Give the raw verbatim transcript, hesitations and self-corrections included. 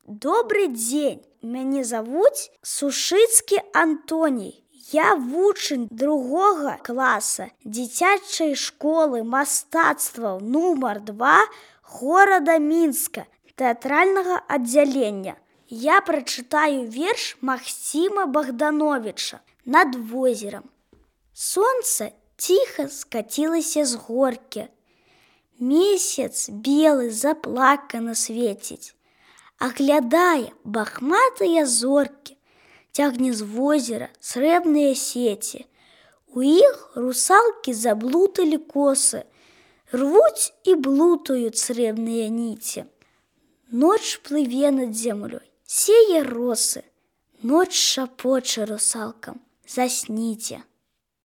Добрый дзень, мяне завуць Сушыцкі Антоній. Я вучань другога класа дзіцячай школы мастацтваў нумар два горада Мінска, тэатральнага аддзялення. Я прачытаю верш Максіма Богдановича «Над возерам». Сонца ціха скацілася з горкі. Месяц белы заплакана свеціць. Аглядае бахматыя зоркі, цягне з возера срэбныя сеці. У іх русалкі заблуталі косы, рвуць і блутаюць срэбныя ніці. Ноч плыве над зямлёй, сее росы, ноч шапоча русалкам: засніце.